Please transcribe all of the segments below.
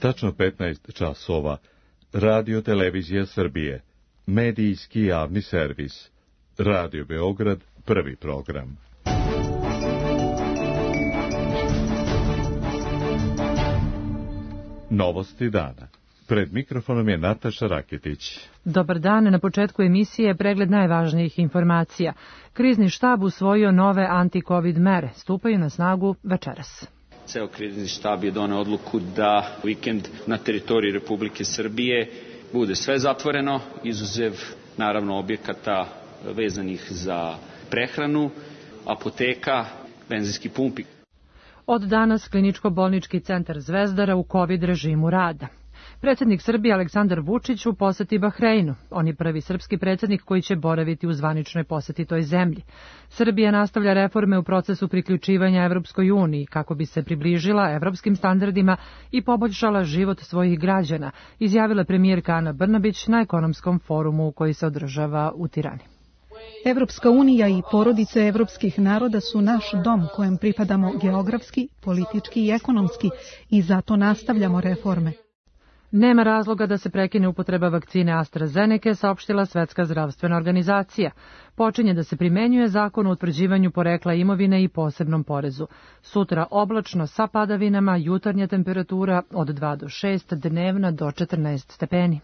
tačno 15 časova, Radio Televizija Srbije, medijski javni servis, Radio Beograd, prvi program. Novosti dana. Pred mikrofonom je Nataša Raketić. Dobar dan, na početku emisije pregled najvažnijih informacija. Krizni štab usvojio nove anti-covid mere, stupaju na snagu večeras. Ceo krizni štab je doneo odluku da vikend na teritoriji Republike Srbije bude sve zatvoreno, izuzev naravno objekata vezanih za prehranu, apoteka, benzinski pumpi. Od danas Kliničko-bolnički centar Zvezdara u COVID režimu rada. Predsjednik Srbije Aleksandar Vučić u poseti Bahreinu. On je prvi srpski predsjednik koji će boraviti u zvaničnoj poseti toj zemlji. Srbija nastavlja reforme u procesu priključivanja Evropskoj uniji kako bi se približila evropskim standardima i poboljšala život svojih građana, izjavila premijerka Ana Brnabić na ekonomskom forumu koji se održava u Tirani. Evropska unija i porodice evropskih naroda su naš dom kojem pripadamo geografski, politički i ekonomski i zato nastavljamo reforme. Nema razloga da se prekine upotreba vakcine AstraZeneca, saopštila Svetska zdravstvena organizacija. Počinje da se primenjuje zakon o utvrđivanju porekla imovine i posebnom porezu. Sutra oblačno sa padavinama, jutarnja temperatura od 2 do 6, dnevna do 14 stepeni.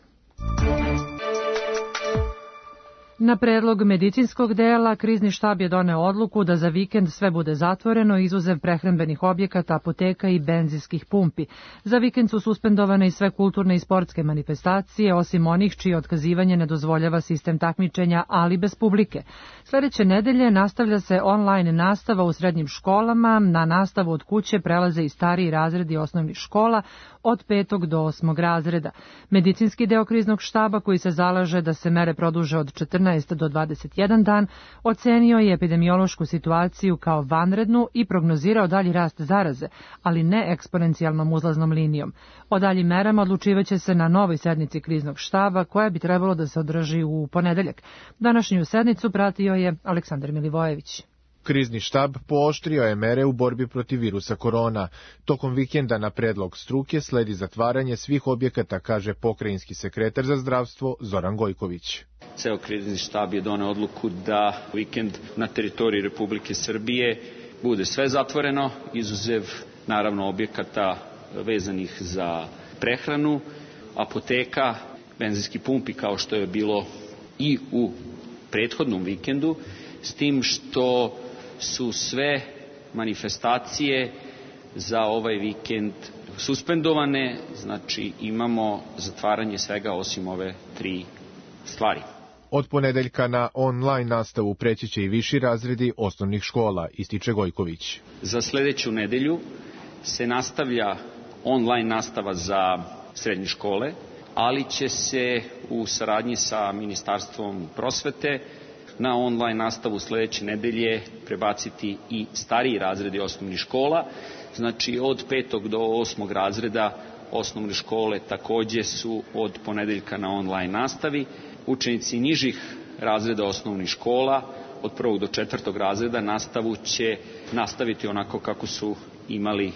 Na predlog medicinskog dela, krizni štab je doneo odluku da za vikend sve bude zatvoreno, izuzev prehrambenih objekata, apoteka i benzinskih pumpi. Za vikend su suspendovane i sve kulturne i sportske manifestacije, osim onih čije otkazivanje ne dozvoljava sistem takmičenja, ali bez publike. Sljedeće nedelje nastavlja se online nastava u srednjim školama, na nastavu od kuće prelaze i stariji razredi osnovnih škola od 5. do 8. razreda. Medicinski deo kriznog štaba, koji se zalaže da se mere produže od 14 do 21 dan, ocenio je epidemiološku situaciju kao vanrednu i prognozirao dalji rast zaraze, ali ne eksponencijalnom uzlaznom linijom. O daljim merama odlučivaće se na novoj sednici kriznog štaba, koja bi trebalo da se održi u ponedeljak. Današnju sednicu pratio je Aleksandar Milivojević. Krizni štab pooštrio je mere u borbi protiv virusa korona. Tokom vikenda na predlog struke sledi zatvaranje svih objekata, kaže pokrajinski sekretar za zdravstvo Zoran Gojković. Ceo krizni štab je doneo odluku da vikend na teritoriji Republike Srbije bude sve zatvoreno, izuzev naravno objekata vezanih za prehranu, apoteka, benzinski pumpi kao što je bilo i u prethodnom vikendu, s tim što su sve manifestacije za ovaj vikend suspendovane, znači imamo zatvaranje svega osim ove 3 stvari. Od ponedeljka na online nastavu preći će i viši razredi osnovnih škola, ističe Gojković. Za sljedeću nedelju se nastavlja online nastava za srednje škole, ali će se u saradnji sa Ministarstvom prosvete na online nastavu sljedeće nedelje prebaciti i stariji razredi osnovnih škola. Znači od 5. do 8. razreda osnovne škole također su od ponedeljka na online nastavi. Učenici nižih razreda osnovnih škola od 1. do 4. razreda nastavu će nastaviti onako kako su imali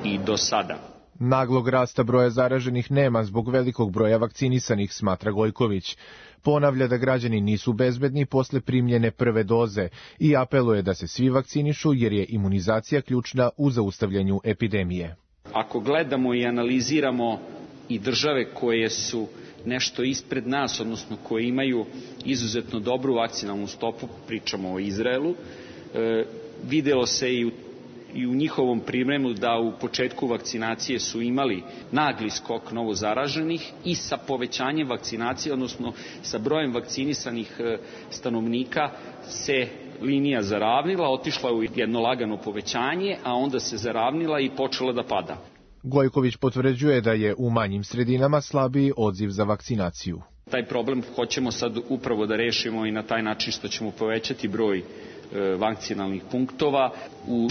i do sada. Naglog rasta broja zaraženih nema zbog velikog broja vakcinisanih, smatra Gojković. Ponavlja da građani nisu bezbedni posle primljene prve doze i apeluje da se svi vakcinišu jer je imunizacija ključna u zaustavljanju epidemije. Ako gledamo i analiziramo i države koje su nešto ispred nas, odnosno koje imaju izuzetno dobru vakcinalnu stopu, pričamo o Izraelu, videlo se i u njihovom pripremu da u početku vakcinacije su imali nagli skok novozaraženih i sa povećanjem vakcinacije, odnosno sa brojem vakcinisanih stanovnika se linija zaravnila, otišla u jedno lagano povećanje, a onda se zaravnila i počela da pada. Gojković potvrđuje da je u manjim sredinama slabiji odziv za vakcinaciju. Taj problem hoćemo sad upravo da rešimo i na taj način što ćemo povećati broj vakcinalnih punktova. U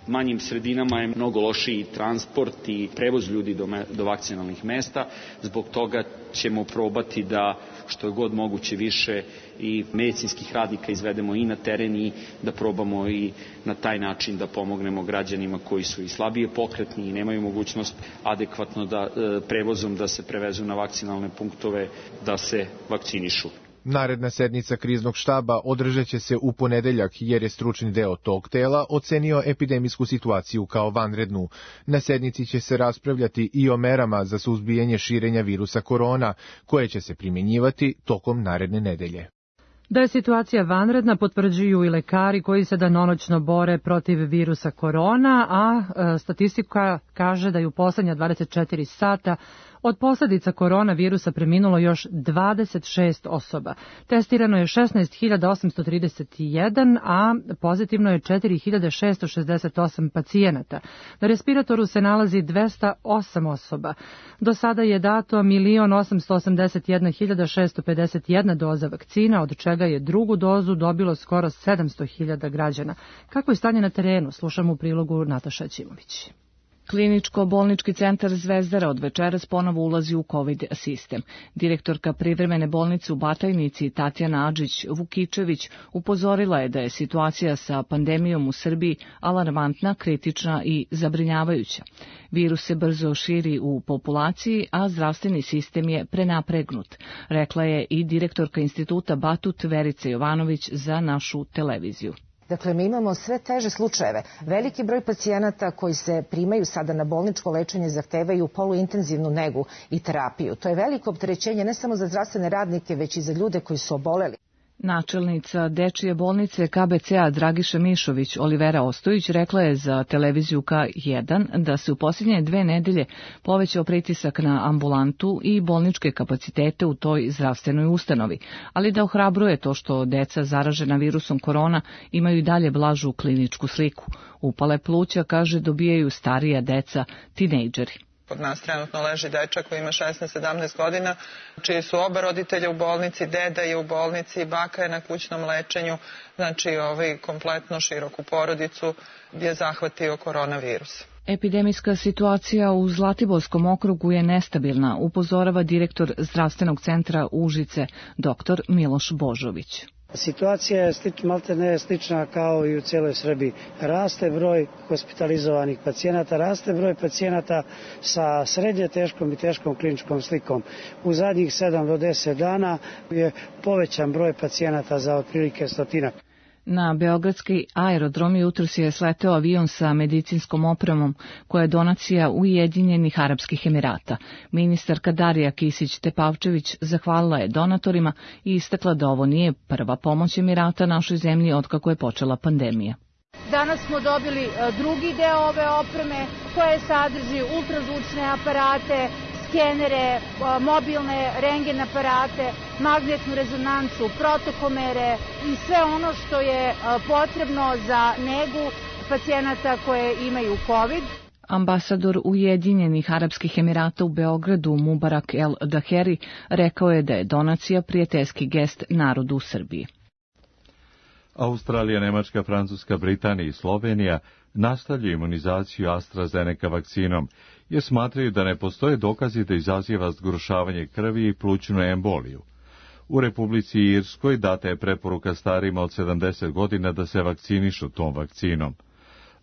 manjim sredinama je mnogo lošiji transport i prevoz ljudi do vakcinalnih mesta. Zbog toga ćemo probati da što je god moguće više i medicinskih radnika izvedemo i na teren i da probamo i na taj način da pomognemo građanima koji su i slabije pokretni i nemaju mogućnost adekvatno prevozom da se prevezu na vakcinalne punktove da se vakcinišu. Naredna sednica kriznog štaba održat će se u ponedeljak jer je stručni deo tog tela ocenio epidemijsku situaciju kao vanrednu. Na sednici će se raspravljati i o merama za suzbijanje širenja virusa korona, koje će se primjenjivati tokom naredne nedelje. Da je situacija vanredna potvrđuju i lekari koji se danonoćno bore protiv virusa korona, a statistika kaže da je u poslednja 24 sata od posljedica koronavirusa preminulo još 26 osoba. Testirano je 16.831, a pozitivno je 4.668 pacijenata. Na respiratoru se nalazi 208 osoba. Do sada je dato 1.881.651 doza vakcina, od čega je drugu dozu dobilo skoro 700.000 građana. Kako je stanje na terenu? Slušamo u prilogu Nataša Ćimović. Kliničko-bolnički centar Zvezdara od večeras ponovo ulazi u COVID sistem. Direktorka privremene bolnice u Batajnici Tatjana Adžić-Vukičević upozorila je da je situacija sa pandemijom u Srbiji alarmantna, kritična i zabrinjavajuća. Virus se brzo širi u populaciji, a zdravstveni sistem je prenapregnut, rekla je i direktorka instituta Batut Verica Jovanović za našu televiziju. Dakle, mi imamo sve teže slučajeve. Veliki broj pacijenata koji se primaju sada na bolničko lečenje zahtevaju poluintenzivnu negu i terapiju. To je veliko opterećenje ne samo za zdravstvene radnike, već i za ljude koji su oboleli. Načelnica dečije bolnice KBC-a Dragiša Mišović Olivera Ostojić rekla je za televiziju K1 da se u posljednje 2 nedelje povećao pritisak na ambulantu i bolničke kapacitete u toj zdravstvenoj ustanovi, ali da ohrabruje to što deca zaražena virusom korona imaju i dalje blažu kliničku sliku. Upale pluća, kaže, dobijaju starija deca, tinejdžeri. Kod nas trenutno leži dečak koji ima 16-17 godina, čiji su oba roditelja u bolnici, deda je u bolnici, baka je na kućnom lečenju, znači kompletno široku porodicu je zahvatio koronavirus. Epidemijska situacija u Zlatiborskom okrugu je nestabilna, upozorava direktor zdravstvenog centra Užice, dr. Miloš Božović. Situacija je maltene slična kao i u cijeloj Srbiji. Raste broj hospitalizovanih pacijenata, raste broj pacijenata sa srednje teškom i teškom kliničkom slikom. U zadnjih 7 do 10 dana je povećan broj pacijenata za otprilike 100. Na beogradski aerodrom jutros je sleteo avion sa medicinskom opremom koja je donacija Ujedinjenih Arapskih Emirata. Ministarka Darija Kisić-Tepavčević zahvalila je donatorima i istakla da ovo nije prva pomoć Emirata našoj zemlji otkako je počela pandemija. Danas smo dobili drugi deo ove opreme koje sadrži ultrazvučne aparate, skenere, mobilne rentgen aparate, magnetnu rezonancu, protokomere i sve ono što je potrebno za negu pacijenata koje imaju COVID. Ambasador Ujedinjenih Arapskih Emirata u Beogradu Mubarak El Daheri rekao je da je donacija prijateljski gest narodu u Srbiji. Australija, Nemačka, Francuska, Britanija i Slovenija nastavljaju imunizaciju AstraZeneca vakcinom, jer smatraju da ne postoje dokazi da izaziva zgrušavanje krvi i plućnu emboliju. U Republici Irskoj data je preporuka starijima od 70 godina da se vakcinišu tom vakcinom.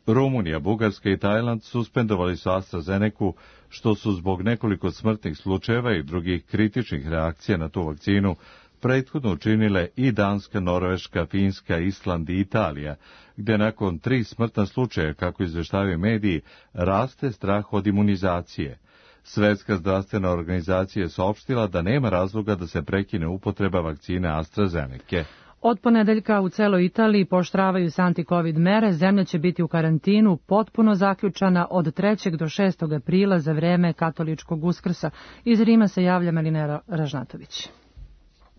Rumunija, Bugarska i Tajland suspendovali su AstraZenecu, što su zbog nekoliko smrtnih slučajeva i drugih kritičnih reakcija na tu vakcinu prethodno učinile i Danska, Norveška, Finska, Island i Italija, gde nakon 3 smrtna slučaja, kako izveštavaju mediji, raste strah od imunizacije. Svetska zdravstvena organizacija je saopštila da nema razloga da se prekine upotreba vakcine AstraZeneca. Od ponedeljka u celoj Italiji pooštravaju se anti-covid mere, zemlja će biti u karantinu potpuno zaključana od 3. do 6. aprila za vreme katoličkog Uskrsa. Iz Rima se javlja Malinera Ražnatović.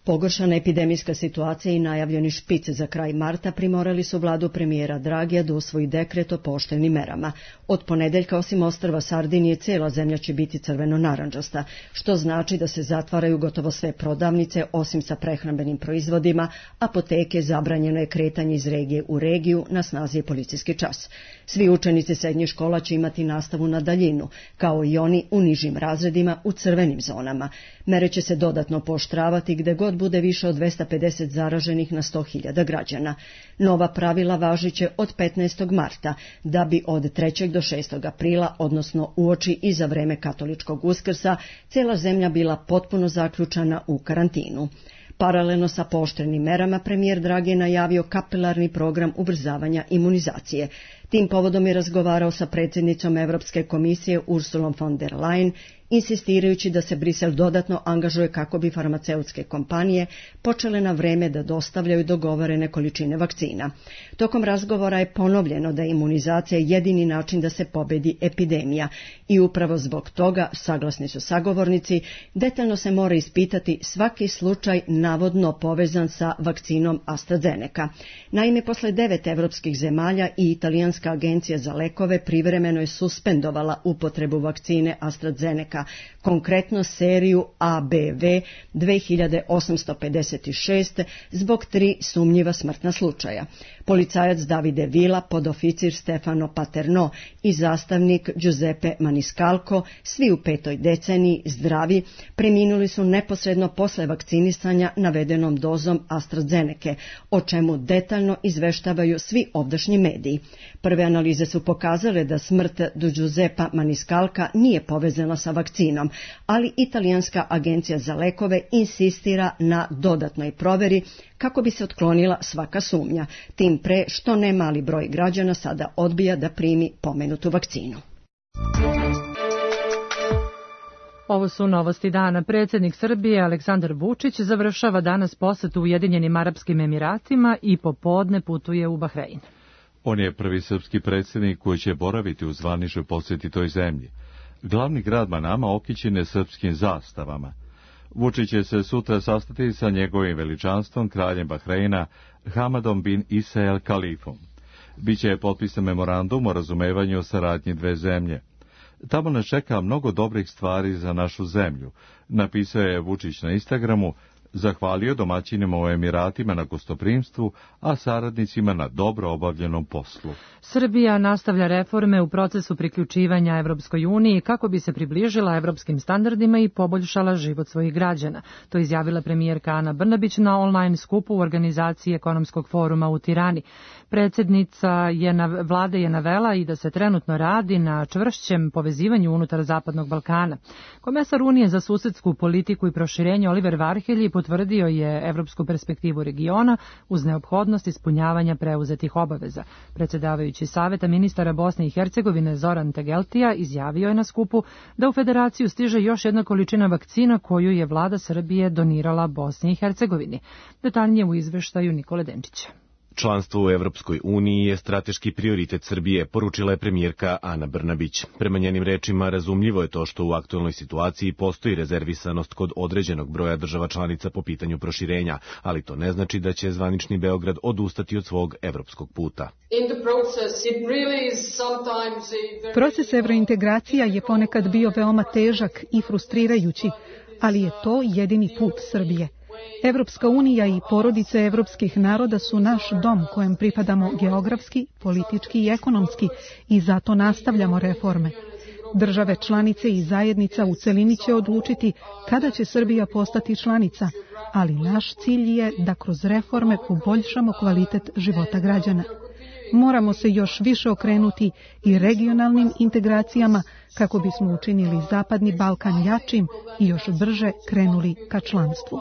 Pogoršana epidemijska situacija i najavljeni špic za kraj marta primorali su vladu premijera Dragija da usvoji dekret o pooštrenim merama. Od ponedeljka, osim ostrva Sardinije, cijela zemlja će biti crveno-narandžasta, što znači da se zatvaraju gotovo sve prodavnice, osim sa prehrambenim proizvodima, apoteke, zabranjeno je kretanje iz regije u regiju, na snazi je policijski čas. Svi učenici srednjih škola će imati nastavu na daljinu, kao i oni u nižim razredima u crvenim zonama. Mere će se dodatno pooštravati gde god bude više od 250 zaraženih na 100.000 građana. Nova pravila važiće od 15. marta, da bi od 3. do 6. aprila, odnosno uoči i za vreme katoličkog Uskrsa, cijela zemlja bila potpuno zaključana u karantinu. Paralelno sa pooštrenim merama, premijer Dragi je najavio kapilarni program ubrzavanja imunizacije. Tim povodom je razgovarao sa predsjednicom Europske komisije Ursulom von der Leyen, insistirajući da se Brisel dodatno angažuje kako bi farmaceutske kompanije počele na vreme da dostavljaju dogovorene količine vakcina. Tokom razgovora je ponovljeno da je imunizacija jedini način da se pobedi epidemija i upravo zbog toga, saglasni su sagovornici, detaljno se mora ispitati svaki slučaj navodno povezan sa vakcinom AstraZeneca. Naime, posle 9 evropskih zemalja i Italijanska agencija za lekove privremeno je suspendovala upotrebu vakcine AstraZeneca, konkretno seriju ABV 2856 zbog 3 sumnjiva smrtna slučaja. Policajac Davide Vila, podoficir Stefano Paterno i zastavnik Giuseppe Maniscalco, svi u 5. deceniji zdravi, preminuli su neposredno posle vakcinisanja navedenom dozom AstraZeneca, o čemu detaljno izveštavaju svi ovdašnji mediji. Prve analize su pokazale da smrt do Giuseppa Maniscalca nije povezana sa vakcinom, ali Italijanska agencija za lekove insistira na dodatnoj proveri kako bi se otklonila svaka sumnja, tim pre što ne mali broj građana sada odbija da primi pomenutu vakcinu. Ovo su novosti dana. Predsjednik Srbije Aleksandar Vučić završava danas posetu Ujedinjenim Arapskim Emiratima i popodne putuje u Bahrein. On je prvi srpski predsjednik koji će boraviti u zvaničnoj posjeti toj zemlji. Glavni grad Manama okićen je srpskim zastavama. Vučić će se sutra sastati sa njegovim veličanstvom, kraljem Bahreina, Hamadom bin Isa el Kalifom. Biće potpisan memorandum o razumevanju o saradnji dve zemlje. Tamo nas čeka mnogo dobrih stvari za našu zemlju, napisao je Vučić na Instagramu, zahvalio domaćinima u Emiratima na gostoprimstvu, a saradnicima na dobro obavljenom poslu. Srbija nastavlja reforme u procesu priključivanja Evropskoj uniji kako bi se približila evropskim standardima i poboljšala život svojih građana. To izjavila premijerka Ana Brnabić na online skupu u organizaciji Ekonomskog foruma u Tirani. Predsjednica vlade je navela i da se trenutno radi na čvršćem povezivanju unutar Zapadnog Balkana. Komesar Unije za susedsku politiku i proširenje Oliver Varhelji potvrdio je evropsku perspektivu regiona uz neophodnost ispunjavanja preuzetih obaveza. Predsjedavajući Saveta ministara Bosne i Hercegovine Zoran Tegeltija izjavio je na skupu da u federaciju stiže još jedna količina vakcina koju je vlada Srbije donirala Bosni i Hercegovini. Detaljnije u izveštaju Nikole Denčića. Članstvo u Evropskoj uniji je strateški prioritet Srbije, poručila je premijerka Ana Brnabić. Prema njenim rečima, razumljivo je to što u aktuelnoj situaciji postoji rezervisanost kod određenog broja država članica po pitanju proširenja, ali to ne znači da će zvanični Beograd odustati od svog evropskog puta. Proces evrointegracija je ponekad bio veoma težak i frustrirajući, ali je to jedini put Srbije. Evropska unija i porodice evropskih naroda su naš dom kojem pripadamo geografski, politički i ekonomski i zato nastavljamo reforme. Države članice i zajednica u celini će odlučiti kada će Srbija postati članica, ali naš cilj je da kroz reforme poboljšamo kvalitet života građana. Moramo se još više okrenuti i regionalnim integracijama kako bismo učinili Zapadni Balkan jačim i još brže krenuli ka članstvu.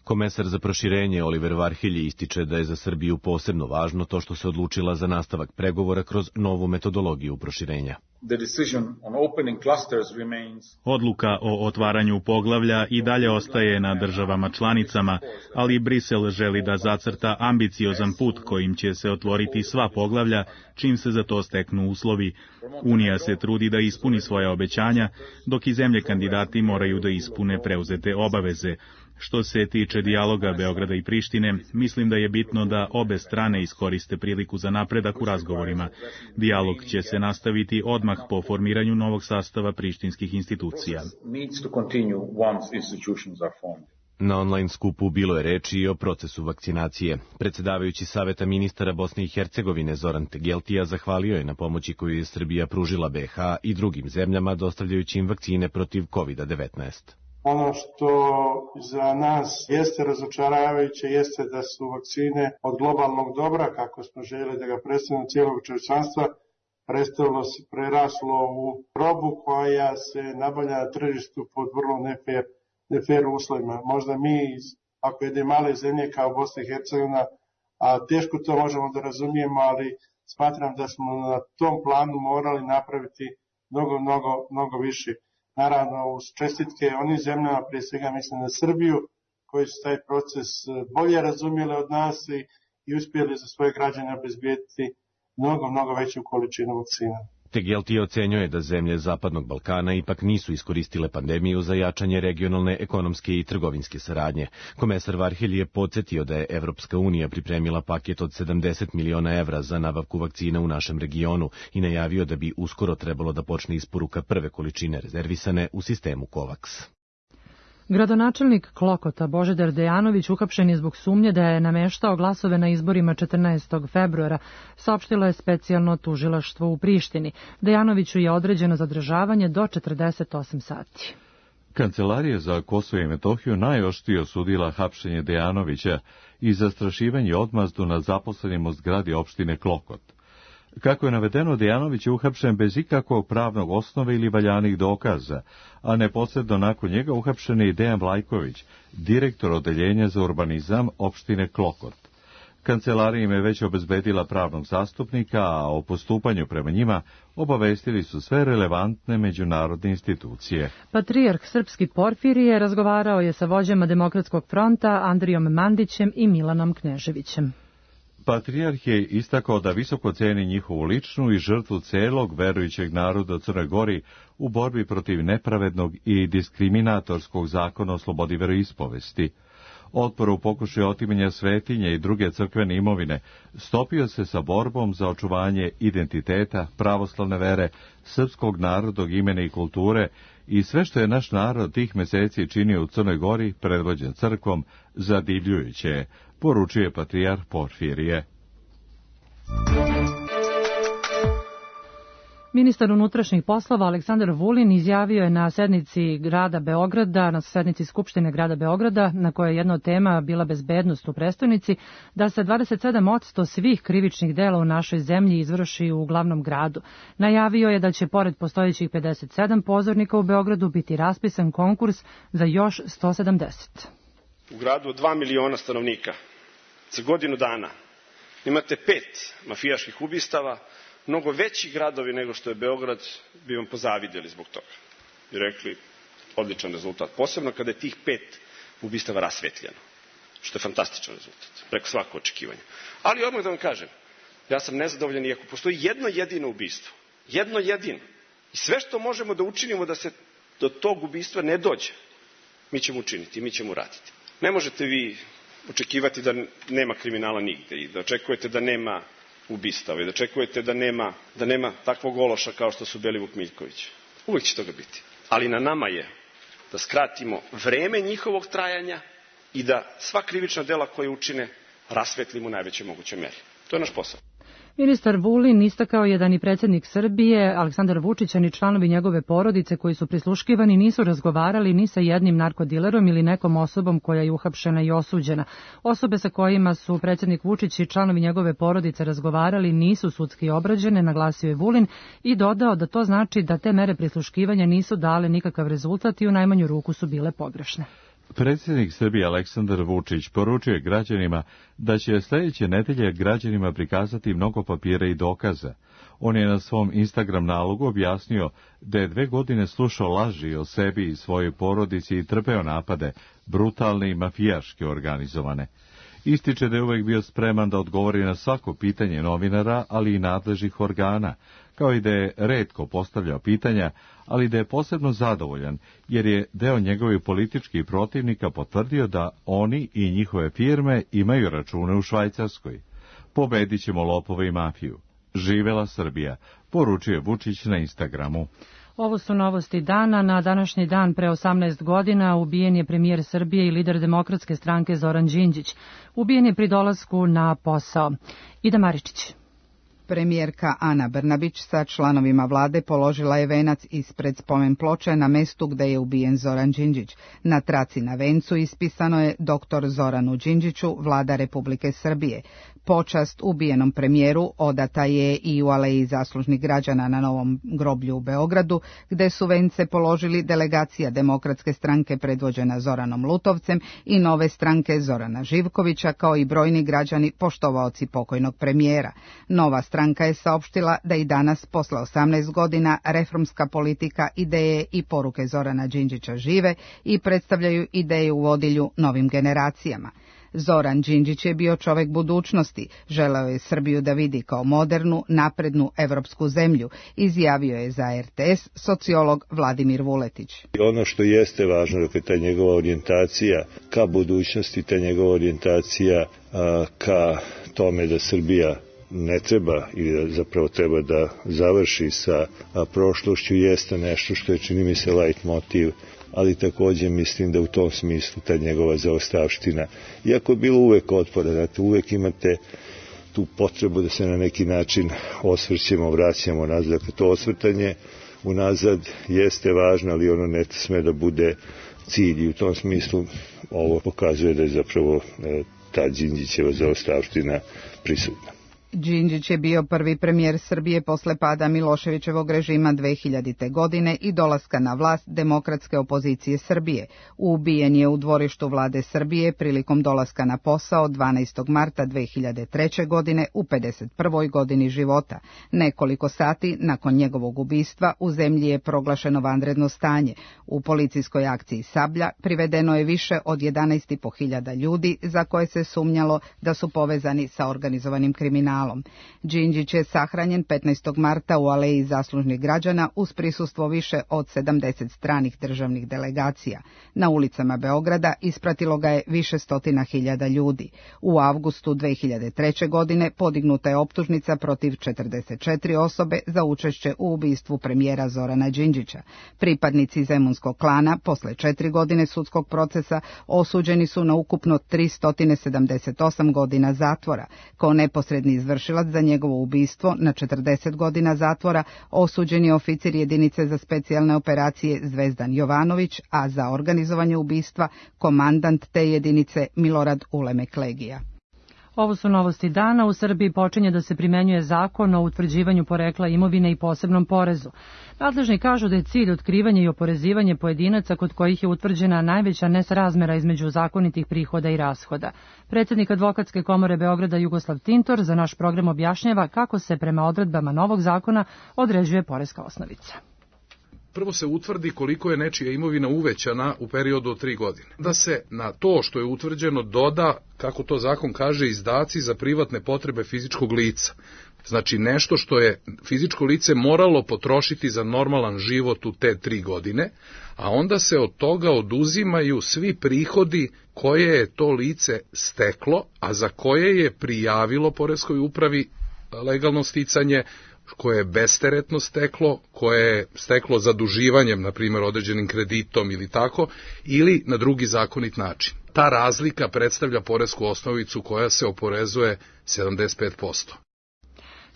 Komesar za proširenje Oliver Varhelji ističe da je za Srbiju posebno važno to što se odlučila za nastavak pregovora kroz novu metodologiju proširenja. Odluka o otvaranju poglavlja i dalje ostaje na državama članicama, ali Brisel želi da zacrta ambiciozan put kojim će se otvoriti sva poglavlja čim se za to steknu uslovi. Unija se trudi da ispuni svoja obećanja, dok i zemlje kandidati moraju da ispune preuzete obaveze. Što se tiče dijaloga Beograda i Prištine, mislim da je bitno da obe strane iskoriste priliku za napredak u razgovorima. Dijalog će se nastaviti odmah po formiranju novog sastava prištinskih institucija. Na online skupu bilo je reči i o procesu vakcinacije. Predsedavajući Saveta ministara Bosne i Hercegovine Zoran Tegeltija zahvalio je na pomoći koju je Srbija pružila BiH i drugim zemljama dostavljajući im vakcine protiv COVID-19. Ono što za nas jeste razočaravajuće jeste da su vakcine od globalnog dobra, kako smo željeli da ga predstavimo cijelog čovječanstva, preraslo u robu koja se nabavlja na tržištu pod vrlo nefer uslovima. Možda mi, ako jedne male zemlje kao Bosna i Hercegovina, a teško to možemo da razumijemo, ali smatram da smo na tom planu morali napraviti mnogo više. Naravno, uz čestitke onim zemljama, prije svega mislim na Srbiju, koji su taj proces bolje razumjeli od nas i uspjeli za svoje građane obezbijeti mnogo veću količinu vakcina. Tegeltija ocenjuje da zemlje Zapadnog Balkana ipak nisu iskoristile pandemiju za jačanje regionalne, ekonomske i trgovinske saradnje. Komesar Varhelji je podsjetio da je Evropska unija pripremila paket od 70 miliona evra za nabavku vakcina u našem regionu i najavio da bi uskoro trebalo da počne isporuka prve količine rezervisane u sistemu COVAX. Gradonačelnik Klokota Božidar Dejanović uhapšen je zbog sumnje da je nameštao glasove na izborima 14. februara, saopštilo je specijalno tužilaštvo u Prištini. Dejanoviću je određeno zadržavanje do 48 sati. Kancelarija za Kosovo i Metohiju najoštrije osudila hapšenje Dejanovića i zastrašivanje i odmazdu nad zaposlenim u zgradi opštine Klokot. Kako je navedeno, Dejanović je uhapšen bez ikakvog pravnog osnove ili valjanih dokaza, a neposredno nakon njega uhapšen je i Dejan Vlajković, direktor odeljenja za urbanizam opštine Klokot. Kancelarija im je već obezbedila pravnog zastupnika, a o postupanju prema njima obavestili su sve relevantne međunarodne institucije. Patrijarh srpski Porfirije razgovarao je sa vođama Demokratskog fronta Andrijom Mandićem i Milanom Kneževićem. Patrijarh je istakao da visoko ceni njihovu ličnu i žrtvu celog verujućeg naroda u Crnoj Gori u borbi protiv nepravednog i diskriminatorskog zakona o slobodi veroispovesti. Otpor u pokušaju otimanja svetinje i druge crkvene imovine stopio se sa borbom za očuvanje identiteta, pravoslavne vere, srpskog narodog imena i kulture i sve što je naš narod tih meseci činio u Crnoj Gori, predvođen crkvom, zadivljujuće je, poručuje patrijarh Porfirije. Ministar unutrašnjih poslova Aleksandar Vulin izjavio je na sednici grada Beograda, na sednici Skupštine grada Beograda, na kojoj je jedna od tema bila bezbednost u prestonici, da se 27% svih krivičnih dela u našoj zemlji izvrši u glavnom gradu. Najavio je da će pored postojećih 57 pozornika u Beogradu biti raspisan konkurs za još 170. U gradu od 2 miliona stanovnika za godinu dana imate 5 mafijaških ubistava, mnogo veći gradovi nego što je Beograd bi vam pozavidjeli zbog toga i rekli odličan rezultat, posebno kada je tih 5 ubistava rasvetljeno, što je fantastičan rezultat, preko svako očekivanja. Ali odmah da vam kažem, ja sam nezadovoljan i ako postoji jedno jedino ubistvo, jedno jedino, i sve što možemo da učinimo da se do tog ubistva ne dođe, mi ćemo učiniti, mi ćemo uraditi. Ne možete vi očekivati da nema kriminala nigde i da očekujete da nema ubistava i da očekujete da nema takvog ološa kao što su Belivuk Miljković. Uvijek će toga biti. Ali na nama je da skratimo vreme njihovog trajanja i da sva krivična dela koje učine rasvetlimo u najvećoj mogućoj meri. To je naš posao. Ministar Vulin istakao je da ni predsjednik Srbije, Aleksandar Vučić, ni članovi njegove porodice koji su prisluškivani nisu razgovarali ni sa jednim narkodilerom ili nekom osobom koja je uhapšena i osuđena. Osobe sa kojima su predsjednik Vučić i članovi njegove porodice razgovarali nisu sudski obrađene, naglasio je Vulin i dodao da to znači da te mere prisluškivanja nisu dale nikakav rezultat i u najmanju ruku su bile pogrešne. Predsjednik Srbije Aleksandar Vučić poručio je građanima da će sljedeće nedelje građanima prikazati mnogo papira i dokaza. On je na svom Instagram nalogu objasnio da je 2 godine slušao laži o sebi i svojoj porodici i trpeo napade, brutalne i mafijaški organizovane. Ističe da je uvek bio spreman da odgovori na svako pitanje novinara, ali i nadležnih organa, kao i da je retko postavljao pitanja, ali da je posebno zadovoljan, jer je deo njegovih političkih protivnika potvrdio da oni i njihove firme imaju račune u Švajcarskoj. Pobedit ćemo lopove i mafiju. Živela Srbija, poručuje Vučić na Instagramu. Ovo su novosti dana. Na današnji dan pre 18 godina ubijen je premijer Srbije i lider Demokratske stranke Zoran Đinđić. Ubijen je pri dolasku na posao. Ida Maričić. Premijerka Ana Brnabić sa članovima vlade položila je venac ispred spomen ploče na mestu gde je ubijen Zoran Đinđić. Na traci na vencu ispisano je dr. Zoranu Đinđiću, vlada Republike Srbije. Počast ubijenom premijeru odata je i u Aleji zaslužnih građana na Novom groblju u Beogradu, gde su vence položili delegacija Demokratske stranke predvođena Zoranom Lutovcem i Nove stranke Zorana Živkovića, kao i brojni građani poštovaoci pokojnog premijera. Nova stranka je saopštila da i danas, posle 18 godina, reformska politika, ideje i poruke Zorana Đinđića žive i predstavljaju ideje u vodilju novim generacijama. Zoran Đinđić je bio čovek budućnosti, želeo je Srbiju da vidi kao modernu, naprednu evropsku zemlju, izjavio je za RTS sociolog Vladimir Vuletić. Ono što jeste važno, dakle, ta njegova orijentacija ka budućnosti, ta njegova orijentacija ka tome da Srbija ne treba ili da zapravo treba da završi sa prošlošću, jeste nešto što je, čini mi se, lajt motiv, ali takođe mislim da u tom smislu ta njegova zaostavština, iako je bilo uvek otpora, dakle, uvek imate tu potrebu da se na neki način osvrćemo, vraćamo nazad, dakle, to osvrtanje unazad jeste važno, ali ono ne sme da bude cilj i u tom smislu ovo pokazuje da je zapravo ta Đinđićeva zaostavština prisutna. Đinđić je bio prvi premijer Srbije posle pada Miloševićevog režima 2000. godine i dolaska na vlast demokratske opozicije Srbije. Ubijen je u dvorištu vlade Srbije prilikom dolaska na posao 12. marta 2003. godine u 51. godini života. Nekoliko sati nakon njegovog ubistva u zemlji je proglašeno vanredno stanje. U policijskoj akciji Sablja privedeno je više od 11.500 ljudi za koje se sumnjalo da su povezani sa organizovanim kriminalom. Đinđić je sahranjen 15. marta u Aleji zaslužnih građana uz prisustvo više od 70 stranih državnih delegacija. Na ulicama Beograda ispratilo ga je više stotina hiljada ljudi. U avgustu 2003. godine podignuta je optužnica protiv 44 osobe za učešće u ubistvu premijera Zorana Đinđića. Pripadnici zemunskog klana posle 4 godine sudskog procesa osuđeni su na ukupno 378 godina zatvora. Kao neposredni izvršilac za njegovo ubistvo na 40 godina zatvora osuđen je oficir jedinice za specijalne operacije Zvezdan Jovanović, a za organizovanje ubistva komandant te jedinice Milorad Ulemek Legija. Ovo su novosti dana. U Srbiji počinje da se primenjuje zakon o utvrđivanju porekla imovine i posebnom porezu. Nadležni kažu da je cilj otkrivanje i oporezivanje pojedinaca kod kojih je utvrđena najveća nesrazmera između zakonitih prihoda i rashoda. Predsjednik Advokatske komore Beograda Jugoslav Tintor za naš program objašnjava kako se prema odredbama novog zakona određuje poreska osnovica. Prvo se utvrdi koliko je nečija imovina uvećana u periodu od 3 godine. Da se na to što je utvrđeno doda, kako to zakon kaže, izdaci za privatne potrebe fizičkog lica. Znači nešto što je fizičko lice moralo potrošiti za normalan život u te 3 godine, a onda se od toga oduzimaju svi prihodi koje je to lice steklo, a za koje je prijavilo poreskoj upravi legalno sticanje, koje je besteretno steklo, koje je steklo zaduživanjem, na primjer određenim kreditom ili tako, ili na drugi zakonit način. Ta razlika predstavlja poresku osnovicu koja se oporezuje 75%.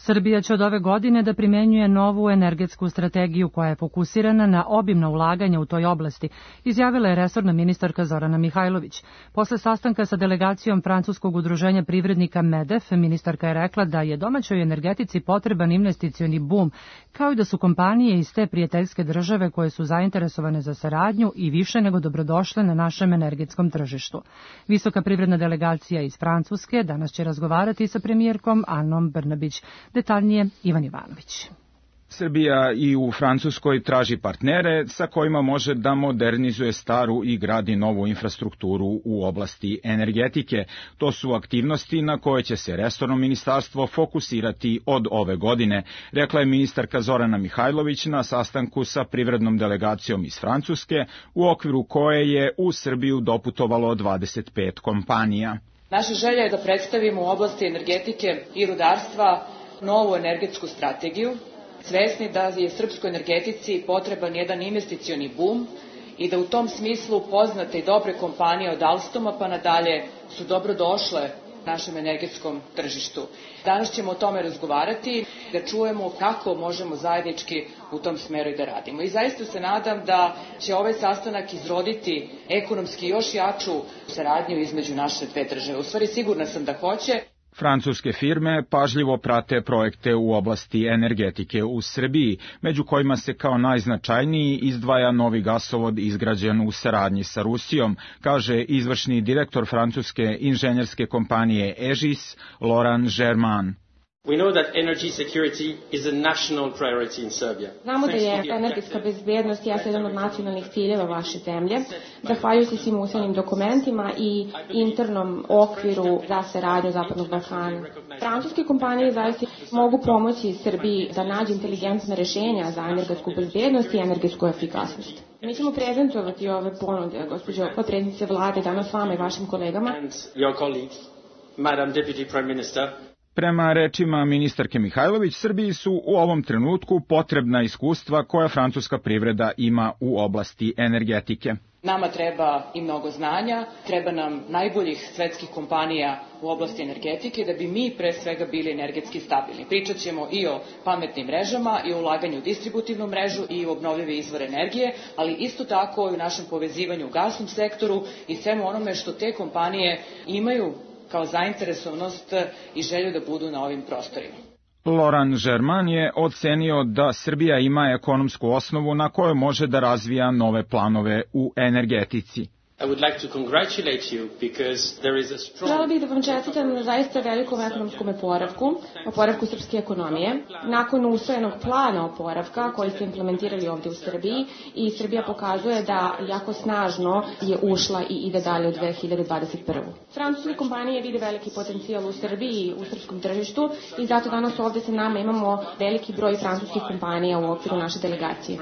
Srbija će od ove godine da primenjuje novu energetsku strategiju koja je fokusirana na obimna ulaganja u toj oblasti, izjavila je resorna ministarka Zorana Mihajlović. Posle sastanka sa delegacijom Francuskog udruženja privrednika MEDEF, ministarka je rekla da je domaćoj energetici potreban investicioni bum, kao i da su kompanije iz te prijateljske države koje su zainteresovane za saradnju i više nego dobrodošle na našem energetskom tržištu. Visoka privredna delegacija iz Francuske danas će razgovarati sa premijerkom Anom Brnabić. Detaljnije Ivan Ivanović. Srbija i u Francuskoj traži partnere sa kojima može da modernizuje staru i gradi novu infrastrukturu u oblasti energetike. To su aktivnosti na koje će se resorno ministarstvo fokusirati od ove godine, rekla je ministarka Zorana Mihajlović na sastanku sa privrednom delegacijom iz Francuske, u okviru koje je u Srbiju doputovalo 25 kompanija. Naša želja je da predstavimo u oblasti energetike i rudarstva novu energetsku strategiju, svesni da je srpskoj energetici potreban jedan investicioni bum i da u tom smislu poznate i dobre kompanije od Alstoma pa nadalje su dobro došle našem energetskom tržištu. Danas ćemo o tome razgovarati, da čujemo kako možemo zajednički u tom smeru i da radimo. I zaista se nadam da će ovaj sastanak izroditi ekonomski još jaču saradnju između naše dve države. U stvari sigurna sam da hoće. Francuske firme pažljivo prate projekte u oblasti energetike u Srbiji, među kojima se kao najznačajniji izdvaja novi gasovod izgrađen u saradnji sa Rusijom, kaže izvršni direktor francuske inženjerske kompanije Egis, Laurent Germain. We know that energy security is a national priority in Serbia. Znamo da je energetska bezbednost jedan od nacionalnih ciljeva vaše zemlje, zahvaljujući svim usvojenim dokumentima i internom okviru za saradnju Zapadnog Balkana. Francuske kompanije zaista mogu pomoći Srbiji da nađe inteligentne rešenja za energetsku bezbednost i energetsku efikasnost. Mi ćemo prezentovati ove ponude, gospođo potpredsjednice vlade, danas vama i vašim kolegama. And your colleagues, Madam Deputy Prime Minister. Prema rečima ministarke Mihajlović, Srbiji su u ovom trenutku potrebna iskustva koja francuska privreda ima u oblasti energetike. Nama treba i mnogo znanja, treba nam najboljih svetskih kompanija u oblasti energetike da bi mi pre svega bili energetski stabilni. Pričat ćemo i o pametnim mrežama i o ulaganju u distributivnu mrežu i u obnovljive izvore energije, ali isto tako i u našem povezivanju u gasnom sektoru i svemu onome što te kompanije imaju kao zainteresovanost i želju da budu na ovim prostorima. Laurent Germain je ocenio da Srbija ima ekonomsku osnovu na kojoj može da razvija nove planove u energetici. I would like to congratulate you because there is a strong... Žela bih da vam čestitam na zaista velikom ekonomskom oporavku srpske ekonomije. Nakon usvojenog plana oporavka koji ste implementirali ovdje u Srbiji i Srbija pokazuje da jako snažno je ušla i ide dalje u 2021. Francuske kompanije vide veliki potencijal u Srbiji i u srpskom tržištu i zato danas ovdje sa nama imamo veliki broj francuskih kompanija u okviru naše delegacije.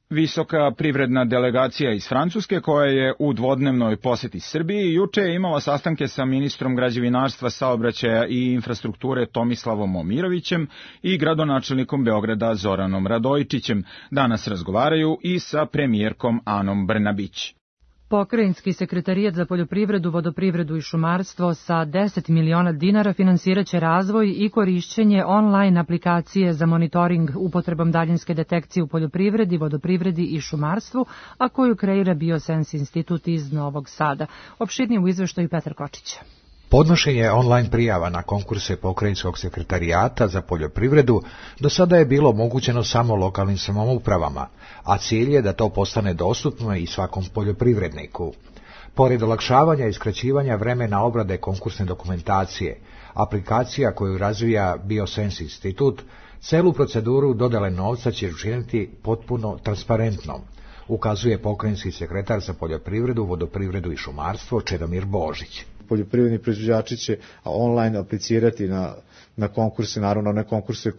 Visoka privredna delegacija iz Francuske, koja je u dvodnevnoj poseti Srbiji, juče je imala sastanke sa ministrom građevinarstva, saobraćaja i infrastrukture Tomislavom Momirovićem i gradonačelnikom Beograda Zoranom Radojičićem. Danas razgovaraju i sa premijerkom Anom Brnabić. Pokrajinski sekretarijat za poljoprivredu, vodoprivredu i šumarstvo sa 10 miliona dinara finansiraće razvoj i korišćenje online aplikacije za monitoring upotrebom daljinske detekcije u poljoprivredi, vodoprivredi i šumarstvu, a koju kreira Biosense institut iz Novog Sada. Opširnije u izveštaju Petar Kočić. Podnošenje online prijava na konkurse Pokrajinskog sekretarijata za poljoprivredu do sada je bilo omogućeno samo lokalnim samoupravama, a cilj je da to postane dostupno i svakom poljoprivredniku. Pored olakšavanja i skraćivanja vremena obrade konkursne dokumentacije, aplikacija koju razvija Biosense institut, celu proceduru dodele novca će učiniti potpuno transparentnom, ukazuje pokrajinski sekretar za poljoprivredu, vodoprivredu i šumarstvo Čedomir Božić. Poljoprivredni proizvođači će online aplicirati na konkurse, naravno one konkurse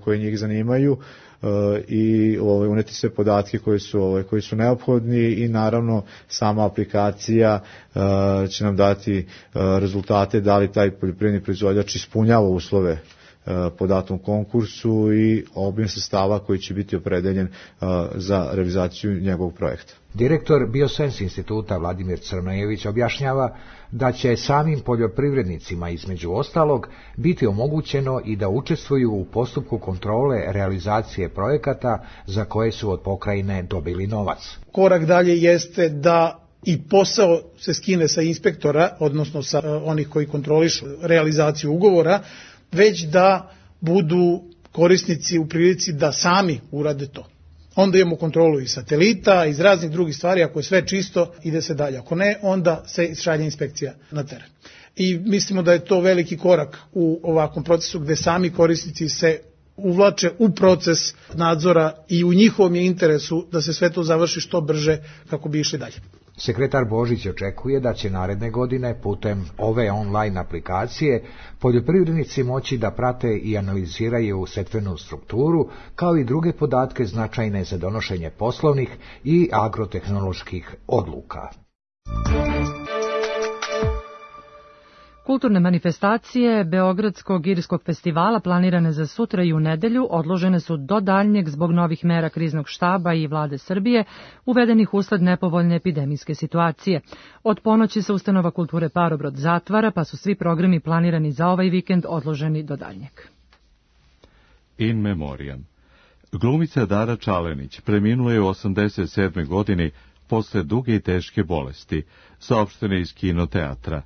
koje njih zanimaju i uneti sve podatke koji su neophodni i naravno sama aplikacija će nam dati rezultate da li taj poljoprivredni proizvođač ispunjava uslove po datom konkursu i obim sredstava koji će biti opredeljen za realizaciju njegovog projekta. Direktor Biosens instituta Vladimir Crnojević objašnjava da će samim poljoprivrednicima između ostalog biti omogućeno i da učestvuju u postupku kontrole realizacije projekata za koje su od pokrajine dobili novac. Korak dalje jeste da i posao se skine sa inspektora, odnosno sa onih koji kontrolišu realizaciju ugovora, već da budu korisnici u prilici da sami urade to. Onda imamo kontrolu i satelita, iz raznih drugih stvari, ako je sve čisto, ide se dalje. Ako ne, onda se šalje inspekcija na teren. I mislimo da je to veliki korak u ovakvom procesu gde sami korisnici se uvlače u proces nadzora i u njihovom je interesu da se sve to završi što brže kako bi išli dalje. Sekretar Božić očekuje da će naredne godine putem ove online aplikacije poljoprivrednici moći da prate i analiziraju setvenu strukturu, kao i druge podatke značajne za donošenje poslovnih i agrotehnoloških odluka. Kulturne manifestacije Beogradskog irskog festivala planirane za sutra i u nedelju odložene su do daljnjeg zbog novih mera kriznog štaba i vlade Srbije uvedenih usled nepovoljne epidemijske situacije. Od ponoći se ustanova kulture Parobrod zatvara, pa su svi programi planirani za ovaj vikend odloženi do daljnjeg. In memoriam. Glumica Dara Čalenić preminula je u 87. godini posle duge i teške bolesti, saopštene iz Kinoteatra.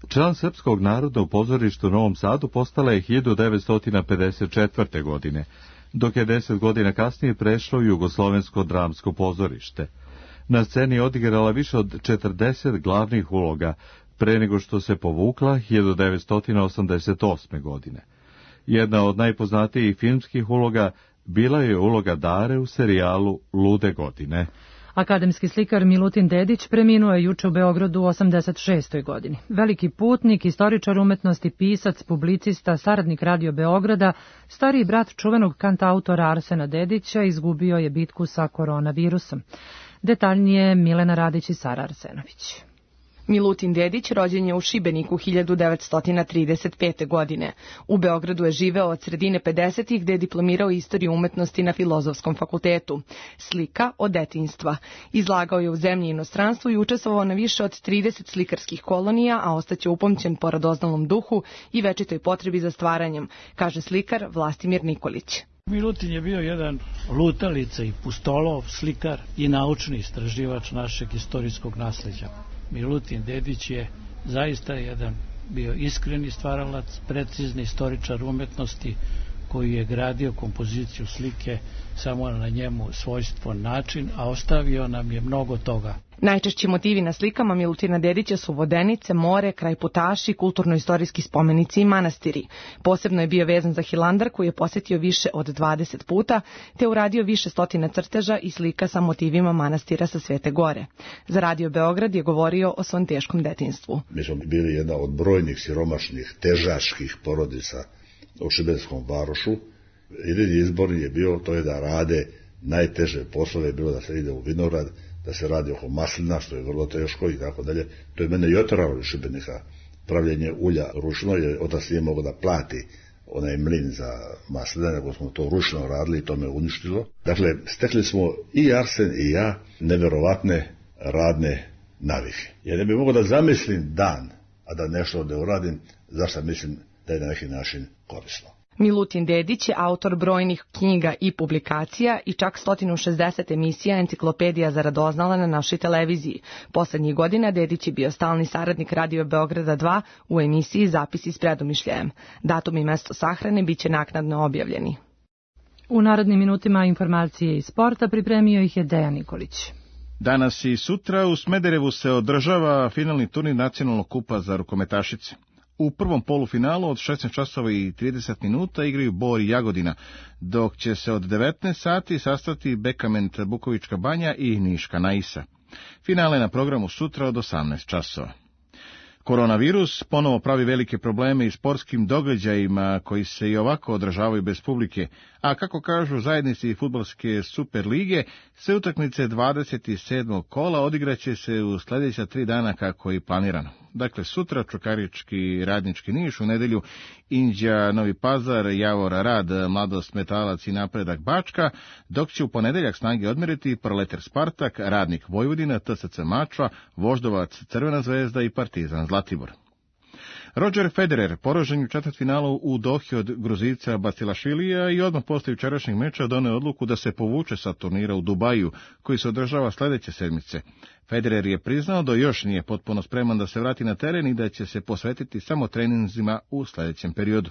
Član Srpskog narodnog pozorišta u Novom Sadu postala je 1954. godine, dok je 10 godina kasnije prešla u Jugoslovensko dramsko pozorište. Na sceni je odigrala više od 40 glavnih uloga, pre nego što se povukla 1988. godine. Jedna od najpoznatijih filmskih uloga bila je uloga Dare u serijalu Lude godine. Akademski slikar Milutin Dedić preminuo je juče u Beogradu u 86. godini. Veliki putnik, istoričar umetnosti, pisac, publicista, saradnik Radio Beograda, stariji brat čuvenog kantautora Arsena Dedića, izgubio je bitku sa koronavirusom. Detaljnije Milena Radić i Sara Arsenović. Milutin Dedić rođen je u Šibeniku 1935. godine. U Beogradu je živeo od sredine 50-ih gde je diplomirao istoriju umetnosti na Filozofskom fakultetu. Slika od detinjstva. Izlagao je u zemlji i inostranstvu i učestvovao na više od 30 slikarskih kolonija, a ostaće upamćen po radoznalom duhu i večitoj potrebi za stvaranjem, kaže slikar Vlastimir Nikolić. Milutin je bio jedan lutalica i pustolov, slikar i naučni istraživač našeg istorijskog nasleđa. Milutin Dedić je zaista jedan bio iskreni stvaralac, precizni istoričar umetnosti koji je gradio kompoziciju slike samo na njemu svojstven način, a ostavio nam je mnogo toga. Najčešći motivi na slikama Milutina Dedića su vodenice, more, kraj putaši, kulturno-istorijski spomenici i manastiri. Posebno je bio vezan za Hilandar koji je posjetio više od 20 puta, te uradio više stotina crteža i slika sa motivima manastira sa Svete Gore. Za Radio Beograd je govorio o svom teškom detinjstvu. Mi smo bili jedna od brojnih siromašnih, težaških porodica u Šibenskom varošu. Jedini izbor je bio to je da rade najteže poslove, bilo da se ide u vinograd, da se radi oko maslina, što je vrlo teško i tako dalje. To je mene i oteralo iz Šibenika. Pravljenje ulja ručno, jer otac nije mogao da plati onaj mlin za maslina, nego smo to ručno radili i to me uništilo. Dakle, stekli smo i Arsen i ja neverovatne radne navike. Ja ne bih mogao da zamislim dan, a da nešto ne uradim, zašto mislim da je na neki način korisno. Milutin Dedić je autor brojnih knjiga i publikacija i čak 160 emisija Enciklopedija za radoznala na našoj televiziji. Poslednjih godina Dedić je bio stalni saradnik Radio Beograda 2 u emisiji Zapisi s predomišljajem. Datum i mesto sahrane biće naknadno objavljeni. U narednim minutima informacije iz sporta pripremio ih je Dejan Nikolić. Danas i sutra u Smederevu se održava finalni turnir nacionalnog kupa za rukometašice. U prvom polufinalu od 16 časova i 30 minuta igraju Bor i Jagodina, dok će se od 19 sati sastati Bekament Bukovička Banja i Niška Naisa. Finale na programu sutra od 18 časova. Koronavirus ponovo pravi velike probleme i sportskim događajima koji se i ovako održavaju bez publike, a kako kažu zajednici fudbalske Super lige, sve utakmice 27. kola odigraće se u sljedeća 3 dana kako je planirano. Dakle, sutra Čukarički Radnički Niš, u nedelju Inđija Novi Pazar, Javor Rad, Mladost Metalac i Napredak Bačka, dok će u ponedeljak snage odmeriti Proletar Spartak, Radnik Vojvodina, TSC Mačva, Voždovac Crvena zvezda i Partizan Zlatibor. Roger Federer poražen u četvrtfinalu u Dohi od Gruzijca Bacilašvilija i odmah posle jučerašnjeg meča doneo odluku da se povuče sa turnira u Dubaju, koji se održava sledeće sedmice. Federer je priznao da još nije potpuno spreman da se vrati na teren i da će se posvetiti samo treninzima u sledećem periodu.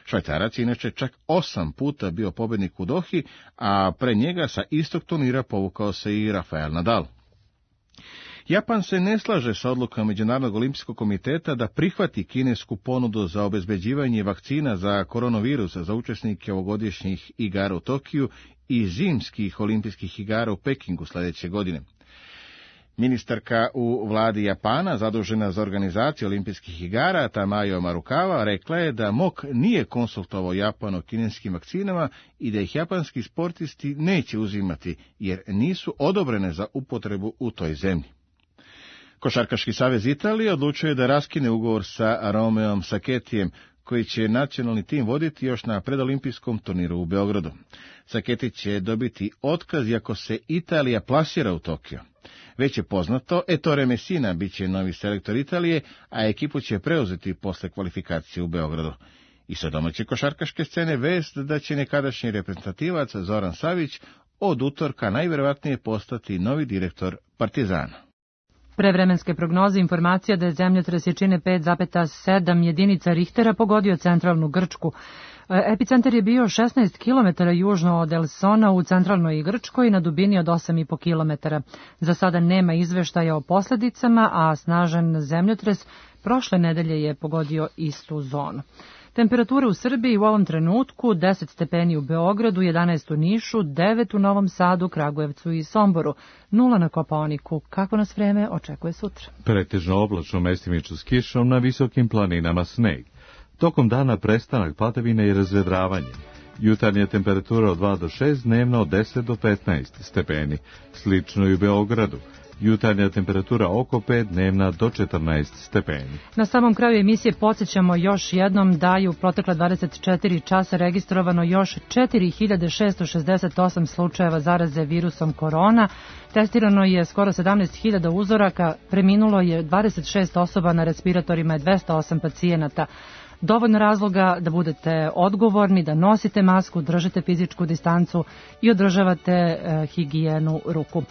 Švajcarac je inače čak 8 puta bio pobednik u Dohi, a pre njega sa istog turnira povukao se i Rafael Nadal. Japan se ne slaže sa odlukom Međunarodnog olimpijskog komiteta da prihvati kinesku ponudu za obezbeđivanje vakcina za koronavirus za učesnike ovogodišnjih igara u Tokiju i zimskih olimpijskih igara u Pekingu sledeće godine. Ministarka u vladi Japana, zadužena za organizaciju olimpijskih igara, Tamayo Marukawa, rekla je da MOK nije konsultovao Japan o kineskim vakcinama i da ih japanski sportisti neće uzimati, jer nisu odobrene za upotrebu u toj zemlji. Košarkaški savez Italije odlučuje da raskine ugovor sa Romeom Saketijem, koji će nacionalni tim voditi još na predolimpijskom turniru u Beogradu. Saketi će dobiti otkaz iako se Italija plasira u Tokio. Već je poznato, Ettore Messina biće novi selektor Italije, a ekipu će preuzeti posle kvalifikacije u Beogradu. I sa domaće košarkaške scene vest da će nekadašnji reprezentativac Zoran Savić od utorka najverovatnije postati novi direktor Partizana. Prevremenske prognoze informacija da je zemljotres jačine 5,7 jedinica Richtera pogodio centralnu Grčku. Epicentar je bio 16 km južno od Elsona u centralnoj Grčkoj na dubini od 8,5 km. Za sada nema izveštaja o posledicama, a snažan zemljotres prošle nedelje je pogodio istu zonu. Temperatura u Srbiji u ovom trenutku 10 stepeni u Beogradu, 11 u Nišu, 9 u Novom Sadu, Kragujevcu i Somboru, 0 na Kopaoniku. Kako nas vreme očekuje sutra? Pretežno oblačno, mestimično s kišom, na visokim planinama sneg. Tokom dana prestanak padavine i razvedravanje. Jutarnja temperatura od 2 do 6, dnevna od 10 do 15 stepeni. Slično i u Beogradu. Jutarnja temperatura oko 5, dnevna do 14 stepeni. Na samom kraju emisije podsjećamo još jednom da je u protekla 24 časa registrovano još 4668 slučajeva zaraze virusom korona. Testirano je skoro 17.000 uzoraka, preminulo je 26 osoba, na respiratorima je 208 pacijenata. Dovoljno razloga da budete odgovorni, da nosite masku, držite fizičku distancu i održavate higijenu ruku.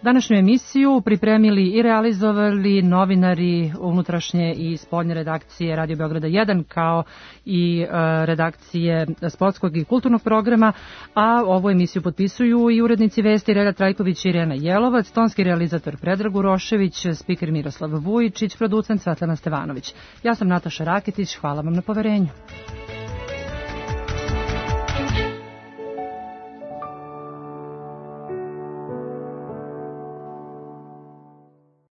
Današnju emisiju pripremili i realizovali novinari unutrašnje i spoljne redakcije Radio Beograda 1, kao i redakcije sportskog i kulturnog programa, a ovu emisiju potpisuju i urednici vesti Relja Trajković i Irena Jelovac, tonski realizator Predrag Urošević, spiker Miroslav Vujičić, producent Svetlana Stevanović. Ja sam Nataša Raketić, hvala vam na poverenju.